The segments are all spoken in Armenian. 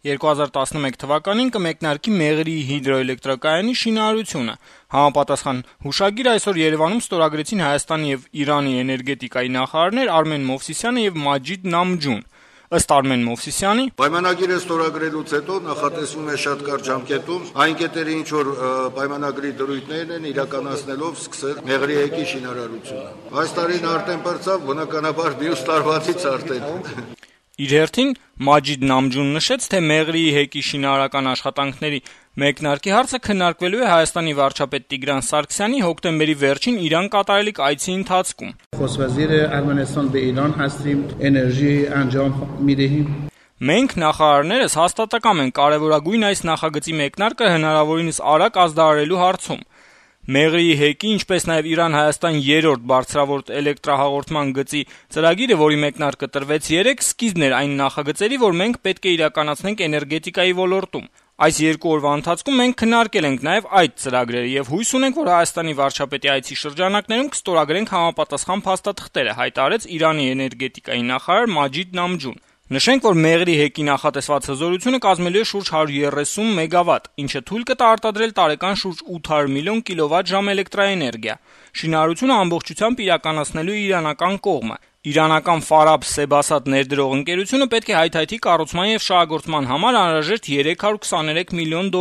2011 թվականին կմեկնարկի Մեղրիի հիդրոէլեկտրակայանի շինարարությունը։ Համապատասխան հուշագիր այսօր Երևանում ստորագրեցին Հայաստանի եւ Իրանի էներգետիկայի նախարարներ Արմեն Մովսիսյանը եւ Մաջիդ Նամջուն։ Ըստ Արմեն Մովսիսյանի, պայմանագիրը ստորագրելուց հետո նախատեսվում է շատ կարճ ժամկետում այն կետերի, ինչ որ պայմանագրի դրույթներն են, իրականացնելով սկսել Մեղրիի հեկի շինարարությունը։ Այս տարին արդեն բրծավ, բնականաբար մյուս տարվանից արդեն։ Իր հերթին Մաջիդ Նամջուն նշեց, թե Մեղրիի հեկի շինարարական աշխատանքների մեկնարկի հարցը քննարկվելու է Հայաստանի վարչապետ Տիգրան Սարգսյանի հոկտեմբերի վերջին Իրան կատարելիք այցի ընթացքում։ Մենք նախարարներս հաստատակամ ենք կարևորագույն այս նախագծի մեկնարկը հնարավորինս արագ ազդարարելու հարցում։ Մեղրիի հեկի, ինչպես նաև Իրան-Հայաստան 3-րդ բարձրավորդ էլեկտրահաղորդման գծի ծրագիրը, որի մեկնարկը տրվեց 3, սկիզբն էր այն նախագծերի, որ մենք պետք է իրականացնենք էներգետիկայի ոլորտում։ Այս 2 օրվա ընթացքում մենք քննարկել ենք նաև այդ ծրագրերը եւ հույս ունենք, որ Հայաստանի վարչապետի այցի շրջանակներում կստորագրենք համապատասխան փաստաթղթերը, հայտարարեց Իրանի էներգետիկայի նախարար Մաջիդ Նամջուն։ Նշենք, որ Մեղրիի հեկի նախատեսված հզորությունը կազմելու է շուրջ 130 մեգավատ, ինչը թույլ կտա արտադրել տարեկան շուրջ 800 միլիոն կիլովատ-ժամ էլեկտրաէներգիա։ Շինարարությունը ամբողջությամբ իրականացնելու է իրանական կողմը։ Իրանական Ֆարաբ Սեբասատ ներդրող ընկերությունը պետք է հայթայթի կառուցման եւ շահագործման համար անհրաժեշտ $323 միլիոն։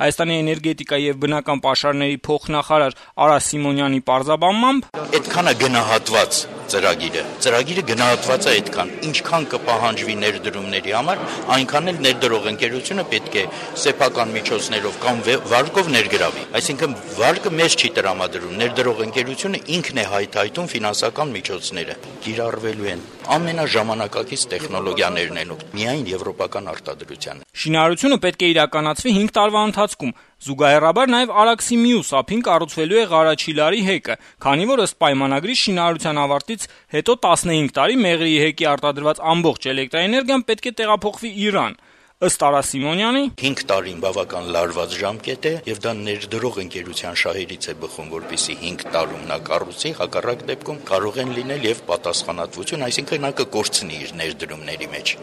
Հայաստանի էներգետիկայի եւ բնական պաշարների փոխնախարար Արա Սիմոնյանի պարզաբանմամբ, այդքանը գնահատված ծրագիրը գնահատված է այդքան, ինչքան կպահանջվի ներդրումների համար, այնքան էլ ներդրող ընկերությունը պետք է սեփական միջոցներով կամ վարկով ներգրավի։ Այսինքն վարկը մեզ չի տրամադրում, ներդրող ընկերությունը ինքն է հայթայթում ֆինանսական միջոցները։ Կիրառվելու են ամենաժամանակակից տեխնոլոգիաներն են, միայն եվրոպական արտադրության։ Շինարարությունը պետք է իրականացվի 5 տարվա ընթացքում։ Զուգահեռաբար նաև Արաքսի մյուս ափին կառուցվելու է Ղարաչիլարի հեկը, քանի որ ըստ պայմանագրի շինարարության ավարտից հետո 15 տարի Մեղրիի հեկի արտադրված ամբողջ էլեկտրաէներգիան պետք է տեղափոխվի Իրան։ Ըստ Արա Սիմոնյանի, 5 տարին բավական լարված ժամկետ է եւ դա ներդրող ընկերության շահերից է բխում, որպեսզի 5 տարում նա կառուցի, հակառակ դեպքում կարող են լինել եւ պատասխանատվություն, այսինքն նա կկորցնի իր ներդրումների մեջ։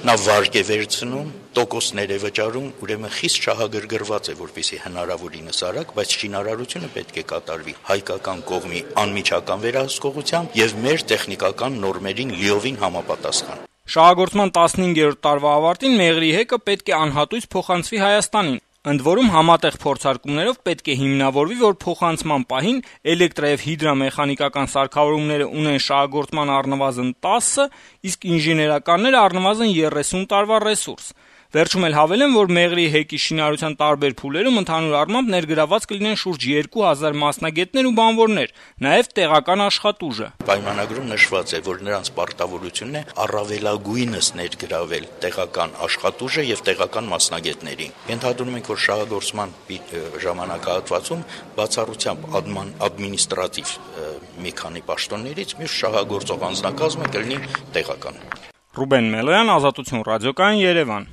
Նա վարկ է վերցնում, տոկոսներ է վճարում, ուրեմն խիստ շահագրգռված է, որպեսզի հնարավորինս արագ, բայց շինարարությունը պետք է կատարվի հայկական կողմի անմիջական վերահսկողությամբ եւ մեր տեխնիկական նորմերին լիովին համապատասխան։ Շահագործման 15-րդ տարվա ավարտին Մեղրիի հեկը պետք է անհատույց փոխանցվի Հայաստանին։ Ընդ որում համատեղ փորձարկումներով պետք է հիմնավորվի, որ փոխանցման պահին էլեկտրա եւ հիդրամեխանիկական սարքավորումները ունեն շահագործման առնվազն 10, իսկ ինժեներականները առնվազն 30 տարվա ռեսուրս։ Վերջում էլ հավելեմ, որ Մեղրիի հեկի շինարարության տարբեր փուլերում ընդհանուր առմամբ ներգրաված կլինեն շուրջ 2000 մասնագետներ ու բանվորներ, նաև տեղական աշխատուժը։ Պայմանագրում նշված է, որ նրանց պարտավորությունն է առավելագույնս ներգրավել տեղական աշխատուժը եւ տեղական մասնագետներին։ Ենթադրում ենք, որ շահագործման ժամանակահատվածում բացառությամբ ադմինիստրատիվ մի քանի պաշտոններից մյուս շահագործող անձնակազմը կլինի տեղական։ Ռուբեն Մելոյան, Ազատություն ռադիոկայան, Երևան։